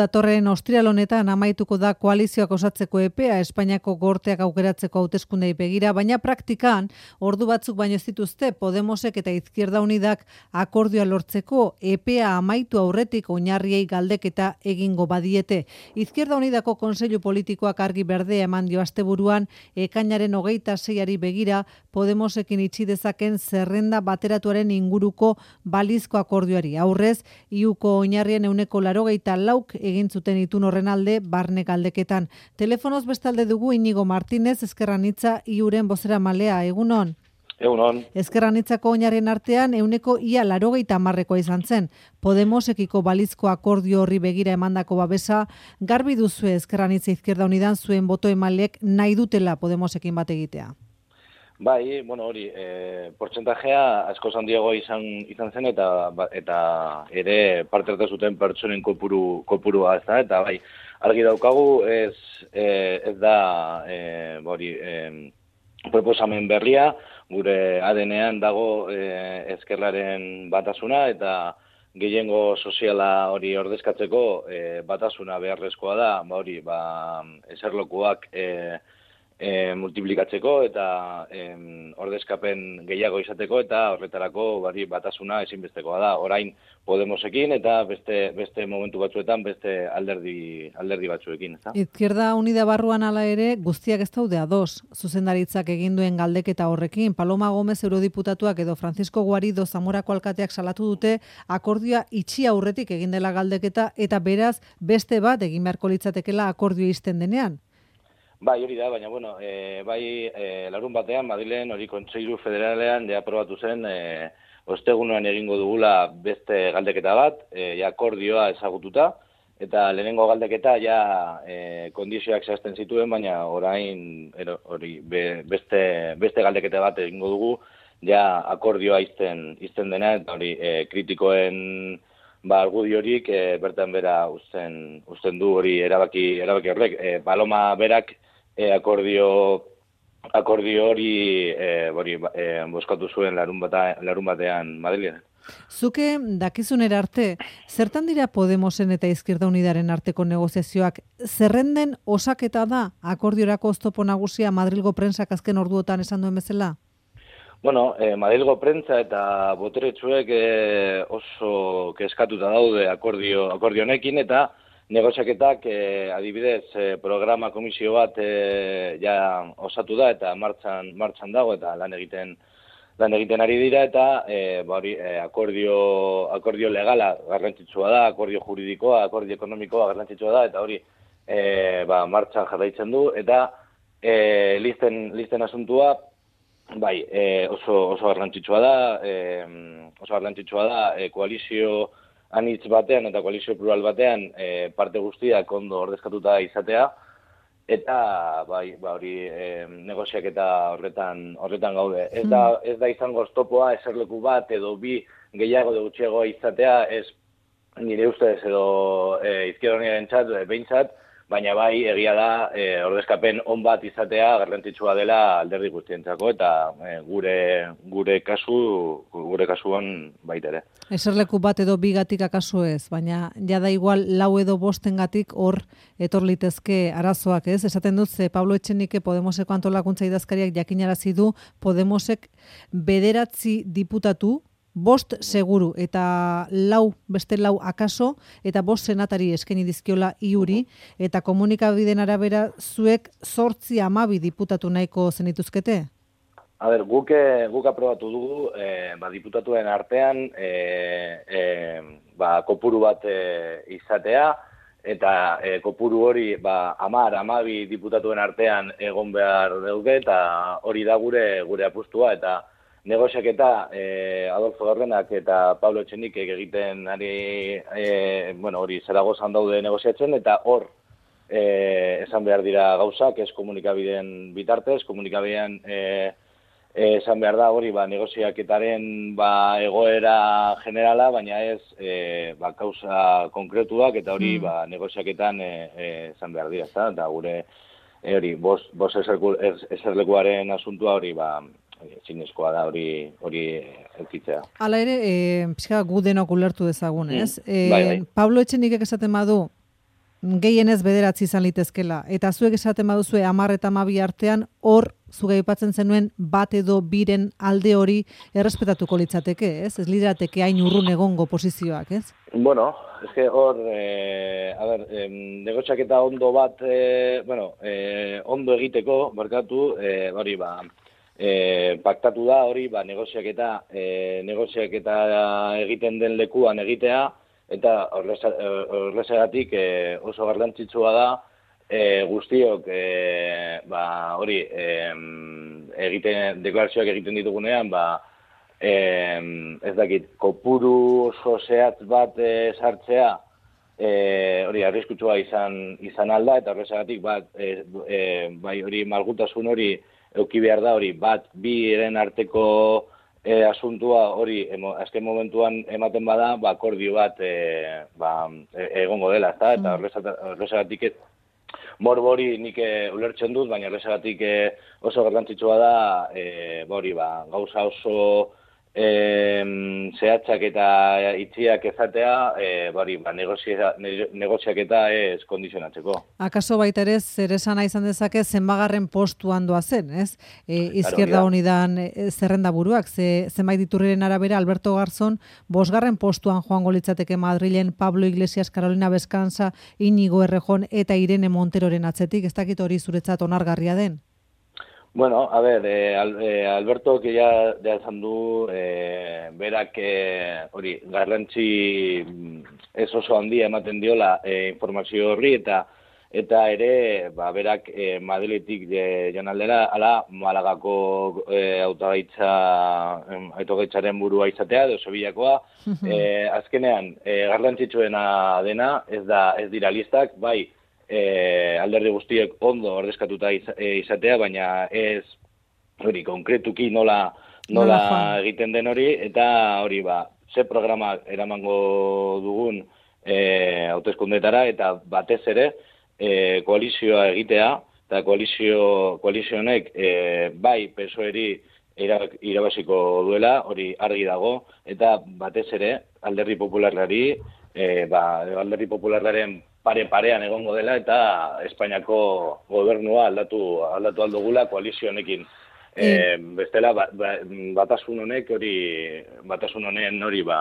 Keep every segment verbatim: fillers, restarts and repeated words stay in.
Datorren ostiral honetan amaituko da koalizioak osatzeko epea Espainiako gorteak aukeratzeko hauteskundei begira, baina praktikan ordu batzuk baino ez dituzte Podemosek eta Izquierda Unidak akordioa lortzeko epea amaitu aurretik oinarriei galdeketa egingo badiete. Izquierda Unidako Kontseilu Politikoak argi berdea eman dio asteburuan ekainaren hogeita seiari begira Podemosekin itxi dezaken zerrenda bateratuaren inguruko balizko akordioari. Aurrez, iuko oinarrien ehuneko laurogeita lauk egin zuten itun horren alde barne galdeketan. Telefonoz bestalde dugu Inigo Martínez, Ezker Anitza iuren bozeramalea. Egunon? Egunon. Ezker Anitzako oinarrien artean ehuneko ia laurogeita hamarrekoa izan zen. Podemosekiko balizko akordio horri begira emandako babesa, garbi duzue Ezker Anitza Izquierda Unidan zuen boto emalek nahi dutela Podemosekin bat egitea. Bai, bueno, hori, e, portzentajea asko handiago izan izan zen eta eta ere parte hartu zuten pertsonen kopuru kopurua ez da, eta bai, argi daukagu ez e, ez da e, hori, e, proposamen berria, gure A D N-ean dago e, ezkerraren batasuna eta gehiengo soziala hori ordezkatzeko e, batasuna beharrezkoa da, ba hori, ba eserlokuak e, E, multiplikatzeko eta e, ordezkapen gehiago izateko eta horretarako bari batasuna ezinbestekoa da. Orain Podemosekin eta beste beste momentu batzuetan beste alderdi alderdi batzuekin, ezta? Izquierda Unida barruan hala ere guztiak ez daude ados. Zuzendaritzak egin duen galdeketa horrekin, Paloma Gomez eurodiputatuak edo Francisco Guarido Zamorako alkateak salatu dute akordioa itxi aurretik egin dela galdeketa eta beraz beste bat egin beharko litzatekeela akordio izten denean. Bai, hori da, baina, bueno, e, bai, e, larun batean, Madrilen, hori Kontseilu Federalean, ja aprobatu zen, e, ostegunean egingo dugula beste galdeketa bat, e, ja akordioa ezagututa, eta lehenengo galdeketa ja e, kondizioak zehazten zituen, baina orain, ero, hori, be, beste, beste galdeketa bat egingo dugu, ja akordioa izten, izten dena, eta hori, e, kritikoen ba argudiorik e, bertan bera uzten, uzten du hori erabaki, erabaki horrek. E, Paloma berak E, akordio, akordio hori e, hori e, bozkatu zuen larun, bata, larun batean Madrilen. Zuke dakizunera arte, zertan dira Podemosen eta Izquierda Unidaren arteko negoziazioak? Zerrenden osaketa da akordiorako oztopo nagusia Madrilgo prentsak azken orduotan esan duen bezala? Bueno, eh, Madrilgo prentsa eta boteretsuek eh, oso kezkatuta daude akordio, akordio honekin eta negoziaketak eh, adibidez eh, programa komisio bat eh, ja osatu da eta martxan martxan dago eta lan egiten lan egiten ari dira eta eh, ba hori eh, akordio akordio legala garrantzitsua da, akordio juridikoa, akordio ekonomikoa garrantzitsua da eta hori eh, ba martxan jarraitzen du eta eh, listen listen asuntua bai, eh, oso oso garrantzitsua da, eh, oso garrantzitsua da eh, koalizio anitz batean eta koalizio plural batean e, parte guztiak ondo ordezkatuta izatea eta bai, ba hori e, negoziaketa horretan horretan gaude. Ez da ez da izango oztopoa eserleku bat edo bi gehiago edo gutxiago izatea, ez nire ustez edo e, Izquierda Unidarentzat behintzat, baina bai egia da e, ordezkapen on bat izatea garrantzitsua dela alderdi guztientzako eta e, gure gure kasu gure kasuan baita ere. Eserleku bat edo bigatik akaso ez, baina jada igual lau edo bostengatik hor etor litezke arazoak, ez? Esaten dut ze Pablo Etxenike Podemoseko antolakuntza idazkariak jakinarazi du Podemosek bederatzi diputatu bost seguru eta lau, beste lau akaso, eta bost senatari eskaini dizkiola iuri, eta komunikabideen arabera zuek zortzi amabi diputatu nahiko zenituzkete? A ber, guk, guk aprobatu dugu, e, ba, diputatuen artean, e, e, ba, kopuru bat e, izatea, eta e, kopuru hori, ba, amar, amabi diputatuen artean egon behar dugu, eta hori da gure gure apustua, eta negoziaketa eh, Adolfo Garrenak eta Pablo Etxenikek egiten ari, eh, bueno, hori Zaragozan daude negoziatzen, eta hor eh, esan behar dira gauzak, ez komunikabideen bitartez, komunikabidean eh, eh, esan behar da hori ba, negoziaketaren ba, egoera generala, baina ez eh, ba, kausa konkretuak, eta hori mm. ba, negoziaketan eh, eh, esan behar dira, eta, eta gure eh, hori, bos, bos eserlekuaren asuntua hori ba, zinezkoa da hori hori eukitzea. Hala ere, e, pixka gu denok ulertu dezagun, ez? Mm. E, bai, bai. Pablo Etxenikek esaten badu, gehienez bederatzi izan litezkela. Eta zuek esaten baduzue hamar eta hamabi artean, hor zuga aipatzen zenuen bat edo biren alde hori errespetatuko litzateke, ez? Ez lirateke hain urrun egongo posizioak, ez? Bueno, eske hor, eh, a ber, eh, negoziaketa ondo bat, eh, bueno, eh, ondo egiteko, barkatu, eh, hori ba, eh, paktatu da hori, ba, negoziaketa, eh, negoziaketa egiten den lekuan egitea, eta horrezagatik eh, oso garrantzitsua da, E, guztiok e, ba, hori e, egiten, deklarazioak egiten ditugunean, ba, e, ez dakit, kopuru oso zehatz bat e, sartzea, e, hori arriskutsua izan, izan alda, eta horrezagatik bat, e, e, bai hori malgutasun hori euki behar da, hori bat, bi eren arteko e, asuntua hori emo, azken momentuan ematen bada, ba, akordio bat e, ba, e, egongo dela, ezta? Eta horrezagatik ez, Morbori nik e, ulertzen dut, baina horrezagatik e, oso garrantzitsua da, e, bori, ba, gauza oso e, zehatzak eta itxiak ezatea, e, bori, ba, negozia, negoziaketa ez kondizionatzeko. Akaso baita ere, zer esana izan dezake zenbagarren postuan doa zen, ez? E, Izquierda Unidan e, zerrenda buruak, ze, zenbait diturriren arabera, Alberto Garzón, bosgarren postuan joango litzateke Madrilen Pablo Iglesias, Carolina Bescansa, Íñigo Errejón eta Irene Monteroren atzetik, ez dakit hori zuretzat onargarria den? Bueno, a ver, eh, eh, Alberto, que ya, ya esan du, eh, berak hori, eh, garrantzi ez oso handia ematen diola eh, informazio horri, eta eta ere, ba, berak eh, Madriletik eh, joan aldera, ala Malagako eh, autogaitza, eh, autogaitzaren burua izatea, edo Sevillakoa, eh, azkenean, eh, garrantzitsuena dena, ez da, ez dira listak, bai, E, alderdi guztiek ondo ordezkatuta izatea, baina ez hori konkretuki nola, nola egiten den hori, eta hori ba, ze programa eramango dugun e, hauteskundetara, eta batez ere e, koalizioa egitea, eta koalizio, koalizio honek e, bai P S O E-eri irabaziko duela, hori argi dago, eta batez ere alderdi popularrari, e, ba, alderdi popularraren pare-parean egongo dela, eta Espainiako gobernua aldatu, aldatu aldogula koalizio honekin. E, bestela, ba, ba, batasun honek hori, batasun honen hori ba,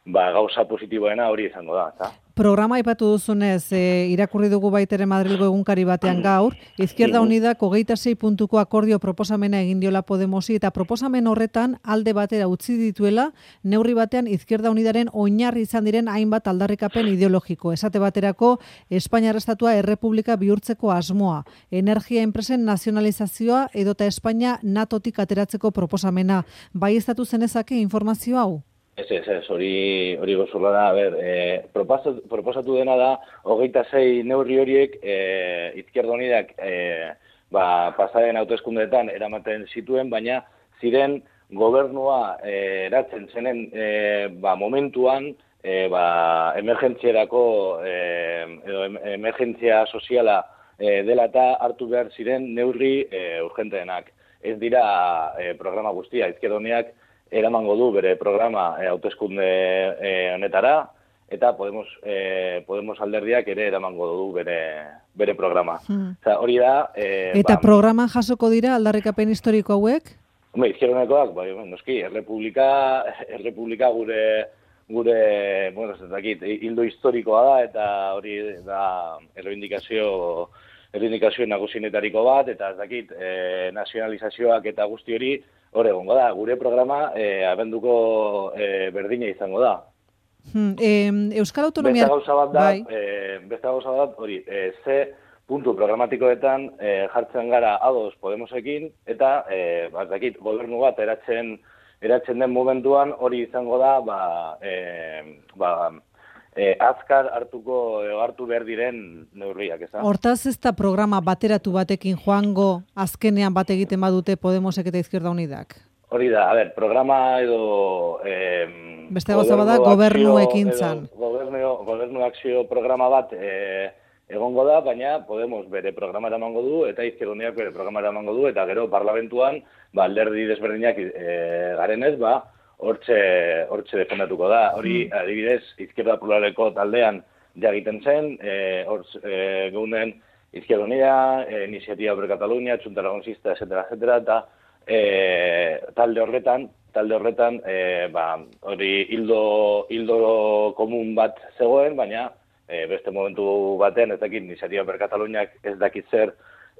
ba, gauza positiboena hori izango da, eta? Programa aipatu duzunez, e, irakurri dugu baitere Madrilgo egunkari batean gaur, Izquierda Unidak hogeita sei puntuko akordio proposamena egin diola Podemosi, eta proposamen horretan alde batera utzi dituela, neurri batean Izquierda Unidaren oinarri izan diren hainbat aldarrikapen ideologiko. Esate baterako, Espainiar Estatua errepublika bihurtzeko asmoa, energia enpresen nazionalizazioa edota Espainia natotik ateratzeko proposamena. Bai estatu zenezake informazio hau? Ez, ez, ez, hori, hori gozurla da, a ber, e, proposatu, proposatu dena da, hogeita sei neurri horiek, e, Izquierda Unidak, e, ba, pasaren hauteskundeetan eramaten zituen, baina ziren gobernua e, eratzen zenen e, ba, momentuan, e, ba, emergentzierako, e, edo emergentzia soziala e, dela eta hartu behar ziren neurri e, urgenteenak. Ez dira e, programa guztia, Izquierda Unidak, eramango du bere programa e, hauteskunde e, honetara, eta Podemos, e, Podemos alderdiak ere eramango du bere, bere programa. Hmm. Oza, hori da... E, eta ba, programan jasoko dira aldarrikapen historiko hauek? Hombre, Izquierda Unidakoak, bai, noski, errepublika, errepublika gure, gure, bueno, ez dakit, hildo historikoa da, eta hori da errebindikazio, errebindikazio nagusienetariko bat, eta ez dakit, e, nazionalizazioak eta guzti hori, hor egongo da, gure programa e, abenduko e, berdina izango da. Hmm, e, Euskal Autonomia... Beste gauza bat da, bai. e, beste gauza bat, hori, e, ze puntu programatikoetan e, jartzen gara ados Podemosekin, eta, e, batzakit, gobernu bat eratzen, eratzen den momentuan hori izango da, ba, e, ba, E, azkar hartuko hartu behar diren neurriak, ez da? Hortaz ez da programa bateratu batekin joango azkenean bat egiten badute Podemosek eta Izquierda Unidak? Hori da, a ber, programa edo... Eh, Beste gauza bada gobernu ekintzan. Gobernu, gobernu akzio programa bat eh, egongo da, baina Podemos bere programa eramango du, eta Izquierda Unidak bere programa eramango du, eta gero parlamentuan, ba, alderdi desberdinak eh, garenez, ba, hortxe, hortxe defendatuko da. Hori, adibidez, Izquierda Pluraleko taldean jagiten zen, e, hor e, geunden Izquierda Unida, e, Iniciativa per Catalunya, Txunta Aragonisista, etcétera, etcétera, eta e, talde horretan, talde horretan, e, ba, hori hildo, hildo komun bat zegoen, baina e, beste momentu batean, ez dakit, Iniciativa per Cataluñak ez dakit zer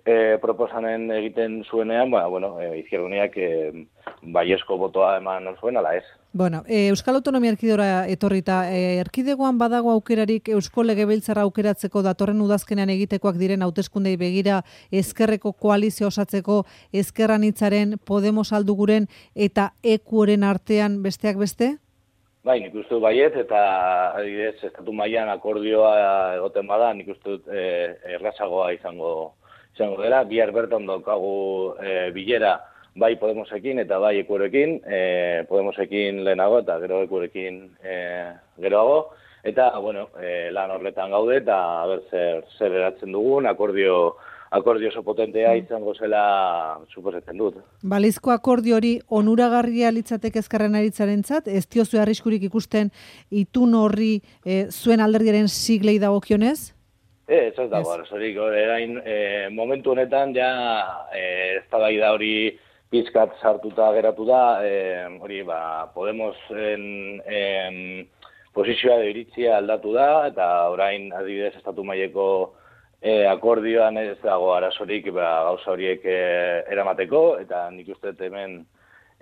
e, proposanen egiten zuenean, ba, bueno, e, Izquierda Unidak e, baiezko botoa eman zuen, ala ez. Bueno, e, Euskal Autonomia Erkidegora etorrita, e, erkidegoan badago aukerarik Eusko Legebiltzarra aukeratzeko datorren udazkenean egitekoak diren hauteskundei begira ezkerreko koalizio osatzeko Ezker Anitzaren, Podemos Alduguren eta Ekuren artean besteak beste? Bai, nik uste dut baiet, eta adibidez, estatu mailan akordioa egoten bada, nik uste dut e, errazagoa izango, izango dela. Bihar bertan daukagu e, bilera, bai Podemosekin eta bai Ekurekin, e, Podemosekin lehenago eta gero Ekurekin e, geroago, eta bueno, e, lan horretan gaude eta ber zer, zer eratzen dugun, akordio, akordio oso potentea izango zela suposatzen dut. Balizko akordio hori onuragarria litzateke Ezkerren Aritzarentzat, ez diozu arriskurik ikusten itun horri e, zuen alderdiaren siglei dagokionez? Ez, ez dago, arazorik, orain e, momentu honetan ja e, eztabaida hori pizkat sartuta geratu da, e, hori ba, Podemosen e, posizioa de iritzia aldatu da, eta orain adibidez estatu maileko e, akordioan ez dago arazorik ba, gauza horiek e, eramateko, eta nik uste hemen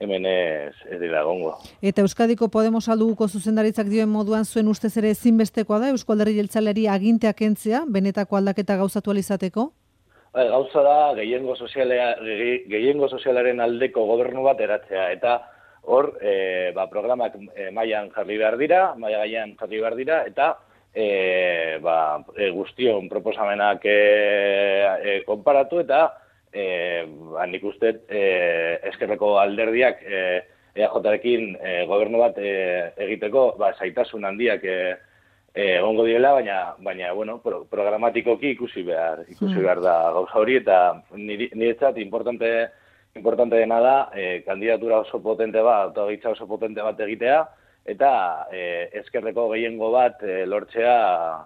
hemen ez, ez dira egongo. Eta Euskadiko Podemos Alduguko zuzendaritzak dioen moduan zuen ustez ere ezinbestekoa da Eusko Alderdi Jeltzaleari aginteak kentzea, benetako aldaketa gauzatu ahal izateko? Gauza da, gehiengo, sozialea, gehiengo sozialaren aldeko gobernu bat eratzea, eta hor, e, ba, programak e, mailan jarri behar dira, maila gainean jarri behar dira, eta e, ba, e, guztion proposamenak e, e, konparatu, eta e, ba, nik uste e, ezkerreko alderdiak e, EAJarekin e, gobernu bat e, egiteko, ba, zaitasun handiak e, egongo diela, baina, baina bueno, pro, programatikoki ikusi behar, ikusi behar da gauza hori, eta niretzat importante, importante dena da, e, kandidatura oso potente bat, autogitza oso potente bat egitea, eta e, ezkerreko gehiengo bat e, lortzea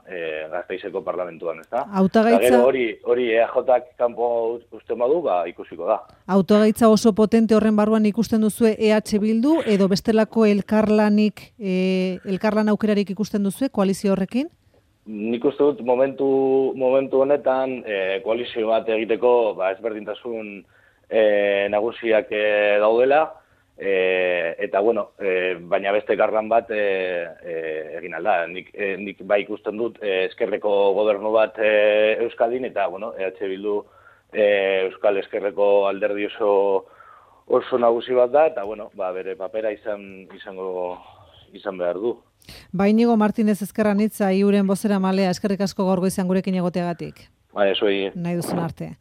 e, Gasteizeko parlamentuan, ezta? Hautagaitza... Eta gero hori, hori EAJak kanpo usten badu, ba, ikusiko da. Hautagaitza oso potente horren barruan ikusten duzue E H Bildu, edo bestelako elkarlanik, e, elkarlan aukerarik ikusten duzue koalizio horrekin? Nik uste dut momentu, momentu honetan e, koalizio bat egiteko ba, ezberdintasun e, nagusiak e, daudela, E, eta bueno, e, baina beste garran bat e, e, egin alda. Nik, e, nik bai ikusten dut e, ezkerreko gobernu bat e, Euskadin, eta bueno, E H Bildu e, Euskal Ezkerreko alderdi oso, oso nagusi bat da, eta bueno, ba, bere papera izan, izango, izan behar du. Ba, Inigo Martínez Ezker Anitza, iuren bozera malea, eskerrik asko gaur goizean gurekin egoteagatik. Ba, eso egin. Nahi duzun arte.